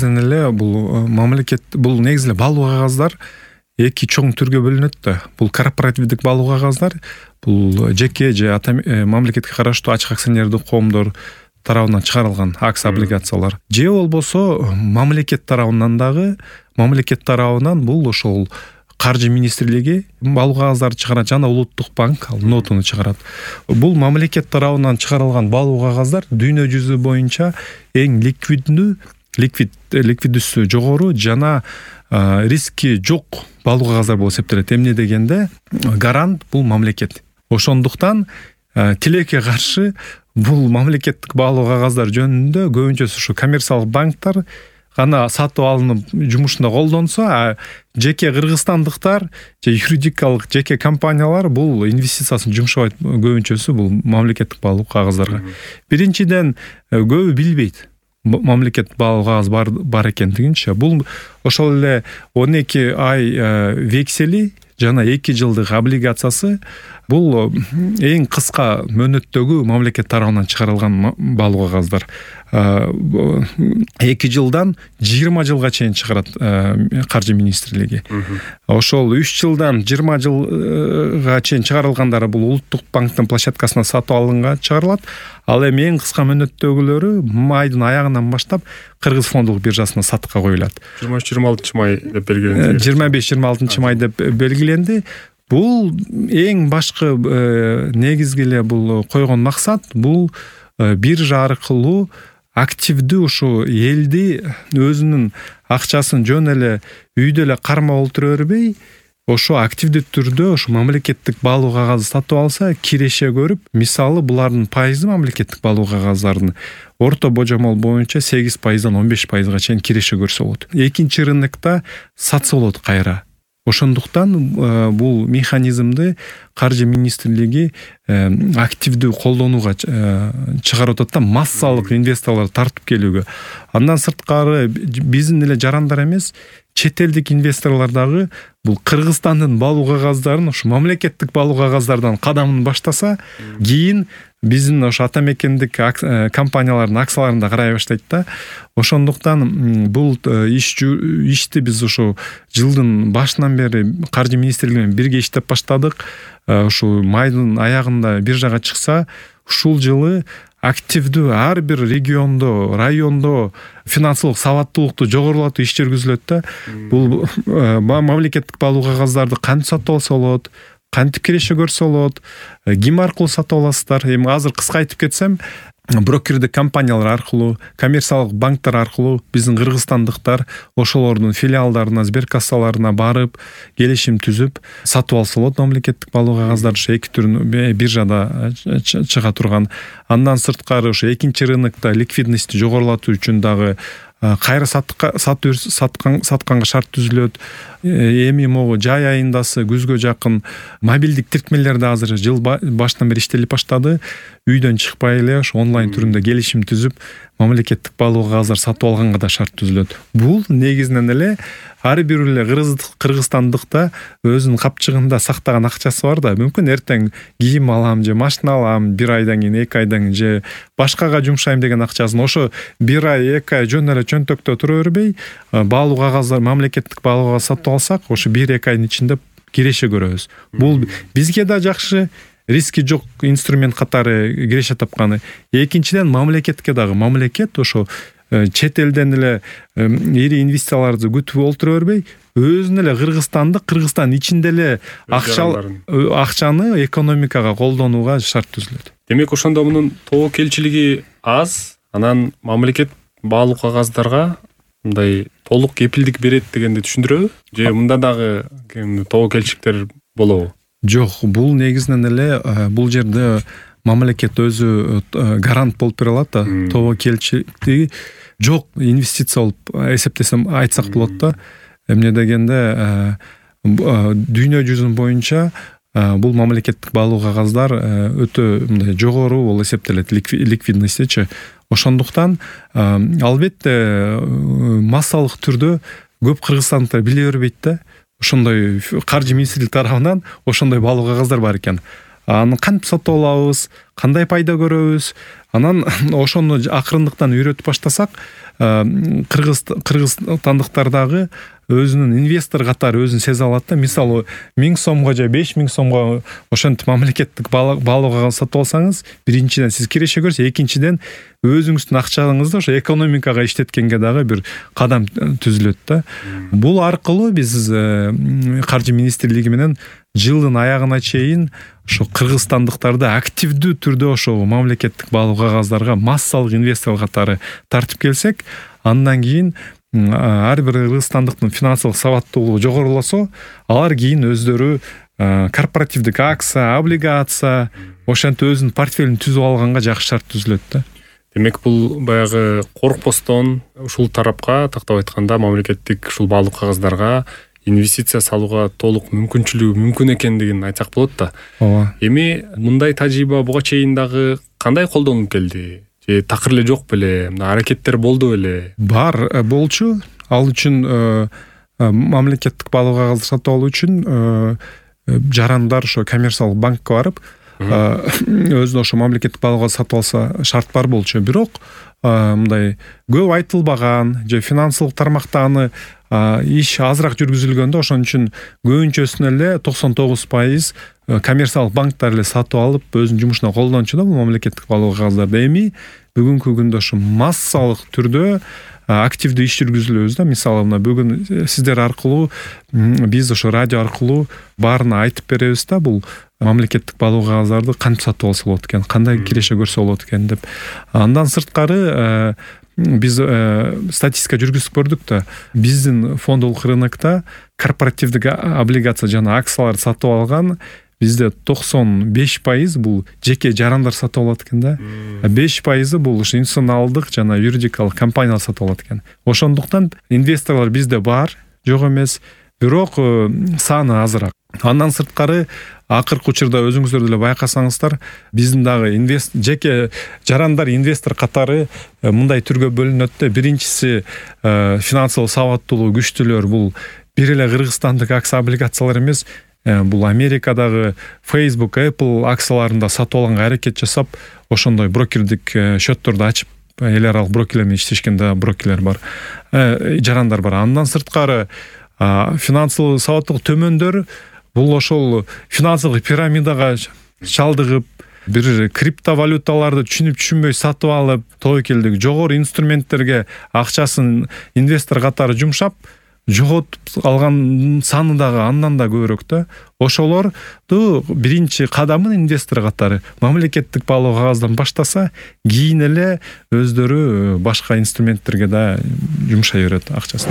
негизинен эле бул мамлекет бул негизи эле баалуу кагаздар эки чоң түргө бөлүнөт да. Бул корпоративдик баалуу кагаздар, бул жеке же мамлекетке караштуу ачык акционердик коомдор тарабынан чыгарылган акция облигациялар. Же болбосо мамлекет тарабынан бул ошол каржы министрлиги баалуу кагаздарды чыгарат жана улуттук банк ал нотуну чыгарат. Бул мамлекет тарабынан чыгарылган баалуу кагаздар дүйнө жүзү боюнча эң ликвиддүүсү жогору жана риски жок баалуу кагаздар болуп эсептелет. Эмне дегенде гарант бул мамлекет. Ошондуктан тилекке каршы бул мамлекеттик баалуу кагаздар жөнүндө көбүнчөсү ушу коммерциялык банктар гана сатып алынып жумушунда колдонсо, а жеке кыргызстандыктар же юридикалык жеке компаниялар бул инвестициясын жумшабайт. Көбүнчөсү бул мамлекеттик баалуу кагаздарга. Биринчиден көбү билбейт мамлекет баалуу кагаз бар экендигинчи. Бул ошол эле 12 ай вексели жана 2 жылдык облигациясы бул эң кыска мөөнөттөгү мамлекет тарабынан чыгарылган баалуу кагаздар. 2 жылдан 20 жылга чейин чыгарат каржы министрлиги. Ошол 3 жылдан 20 жылга чейин чыгарылгандары бул улуттук банктын площадкасына сатып алынга чыгарылат. Ал эми эң кыска мөөнөттөгүлөрү майдын аягынан баштап Кыргыз фондулук биржасына сатыкка коюлат. 23-26 май деп белгиленди. 25-26 май деп белгиленди. Бул эң башкы негизги эле бул койгон максат бул биржа аркылуу активдүү ушу элди өзүнүн акчасын жөн эле үйдө эле кармап олтура бербей, ошо активдүү түрдө ошо мамлекеттик баалуу кагазды сатып алса, киреше көрүп, мисалы булардын пайызы мамлекеттик баалуу кагаздардын орто божомол боюнча 8%-дан 15%га чейин киреше көрсө болот. Экинчи рынокто сатса болот кайра. Ошондуктан бул механизмди каржы министрлиги активдүү колдонууга чыгарып атат да, массалык инвесторлорду тартып келүүгө. Андан сырткары биздин эле жарандар эмес, чет элдик инвесторлор дагы бул Кыргызстандын баалуу кагаздарын ушу мамлекеттик баалуу кагаздардан кадамын баштаса, кийин биздин ошо ата мекендик компаниялардын акцияларында карай баштайт да. Ошондуктан бул ишти биз ошо жылдын башынан бери каржы министрлиги менен бирге иштеп баштадык. Ушу майдын аягында биржага чыкса, ушул жылы активдүү ар бир региондо, райондо финансылык сабаттуулукту жогорулатуу иш жүргүзүлөт да. Бул мамлекеттик баалуу кагаздарды кантип сатып алса болот, кантип киреше көрсө болот, ким аркылуу сатып аласыздар? Эми азыр кыска айтып кетсем, брокердик компаниялар аркылуу, коммерциялык банктар аркылуу биздин кыргызстандыктар ошолордун филиалдарына, сберкассаларына барып, келишим түзүп сатып алса болот мамлекеттик баалуу кагаздарды. Ошо эки түрүн биржада чыга турган. Андан сырткары ошо экинчи рынокто ликвидностьти жогорулатуу үчүн дагы кайра сатканга шарт түзүлөт. Эми могу жай айындасы күзгө жакын мобилдик тиркмелерди азыр жыл башынан бери иштелип баштады. Үйдөн чыкпай эле ошо онлайн түрүндө келишим түзүп, мамлекеттик баалуу кагаздар сатып алганга да шарт түзүлөт. Бул негизинен эле ар бир эле кыргызстандыкта өзүнүн капчыгында сактаган акчасы бар да, мүмкүн эртең кийим алам же машина алам, 1 айдан кийин, 2 айдан кийин же башкага жумшайм деген акчасын ошо 1 ай, 2 ай жөн эле чөнтөктө тура бербей, баалуу кагаздар, мамлекеттик баалуу кагаз сатып алсак, ошо 1-2 айдын ичинде киреше көрөбүз. Бул бизге да жакшы, риски жок инструмент катары киреше тапканы. Экинчиден мамлекетке дагы, мамлекет ошо чет элден эле ири инвестицияларды күтүп олтура бербей, өзүнүн эле Кыргызстан ичинде эле акчаны экономикага колдонууга шарт түзүлөт. Демек ошондо мунун тобокелчилиги аз, анан мамлекет баалуу кагаздарга мындай толук кепилдик берет дегенди түшүндүрөбү? Же мында дагы тобокелчиликтер болобу? Жок, бул негизинен эле бул жерде мамлекет өзү гарант болуп бере алат да. Тобокелчиликти жок инвестиция болуп эсептесем айтсак болот да. Эмне дегенде дүйнө жүзүн боюнча бул мамлекеттик баалуу кагаздар өтө мындай жогору болуп эсептелет, ликвидностьчи. Ошондуктан албетте массалык түрдө көп кыргызстандыктар биле бербейт да. Ошондой каржы министрлиги тарабынан ошондой баалуу кагаздар бар экен. Аны кантип сатып алабыз, кандай пайда көрөбүз. Анан ошону акырындыктан үйрөтүп баштасак, кыргызстандыктар дагы өзүнүн инвестор катары өзүн сезе алат да. Мисалы 1000 сомго же 5000 сомго ошентип мамлекеттик баалуу кагаз сатып алсаңыз, биринчиден сиз киреше көрсө, экинчиден өзүңүздүн акчаңызды ошо экономикага иштеткенге дагы бир кадам түзүлөт да. Бул аркылуу биз каржы министрлиги менен жылдын аягына чейин ошо кыргызстандыктарды активдүү түрдө ошо мамлекеттик баалуу кагаздарга массалык инвестор катары тартып келсек, андан кийин ар бир кыргызстандыктын финансылык сабаттуулугу жогорулосо, алар кийин өздөрү корпоративдик акция, облигация ошентип өзүнүн портфелин түзүп алганга жакшы шарт түзүлөт да. Демек бул баягы коркпостон ушул тарапка, тактап айтканда, мамлекеттик ушул баалуу кагаздарга инвестиция салууга толук мүмкүнчүлүгү мүмкүн экендигин айтсак болот да. Ооба. Эми мындай тажрыйба буга чейин дагы кандай колдонулуп келди? Же такыр эле жок беле? Аракеттер болду беле? Бар болчу. Ал үчүн мамлекеттик баалуу кагазды сатып алуу үчүн жарандар ошо коммерциялык банкка барып, өзүнө ошо мамлекеттик баалуу кагаз сатып алса шарт бар болчу. Бирок мындай көп айтылбаган же финансылык тармакта аны иш азыраак жүргүзүлгөндө, ошон үчүн көбүнчөсүн эле 99% коммерциялык банктар эле сатып алып өзүнүн жумушуна колдончу да бул мамлекеттик баалуу кагаздарды. Эми бүгүнкү күндө ошо массалык түрдө активдүү иш жүргүзүлөбүз да. Мисалы мына бүгүн сиздер аркылуу биз ошо радио аркылуу баарына айтып беребиз да, бул мамлекеттик баалуу кагаздарды кантип сатып алса болот экен, кандай киреше көрсө болот экен деп. Андан сырткары биз статистика жүргүзүп көрдүк да, биздин фондолук рынокто корпоративдик облигация жана акцияларды сатып алган бизде 95% бул жеке жарандар сатып алат экен да. 5% бул ушу институционалдык жана юридикалык компаниялар сатып алат экен. Ошондуктан инвесторлор бизде бар, жок эмес, бирок саны азыраак. Андан сырткары акыркы учурда өзүңүздөр деле байкасаңыздар, биздин дагы жеке жарандар инвестор катары мындай түргө бөлүнөт да. Биринчиси финансылык сабаттуулугу күчтүүлөр, бул бир эле кыргызстандык акция облигациялар эмес, бул Америкадагы Facebook, Apple акцияларында сатып алганга аракет жасап, ошондой брокердик счетторду ачып, эл аралык брокерлер менен иштешкенде брокерлер бар, жарандар бар. Андан сырткары финансылык сабаттуулук төмөндөр бул ошол финансылык пирамидага чалдыгып, бир криптовалюталарды түшүнбөй сатып алып, тобокелдик жогору инструменттерге акчасын инвестор катары жумшап, жоготуп алган саны дагы андан да көбүрөөк да. Ошолорду биринчи кадамын инвестор катары мамлекеттик баалуу кагаздан баштаса, кийин эле өздөрү башка инструменттерге да жумшай берет акчасын.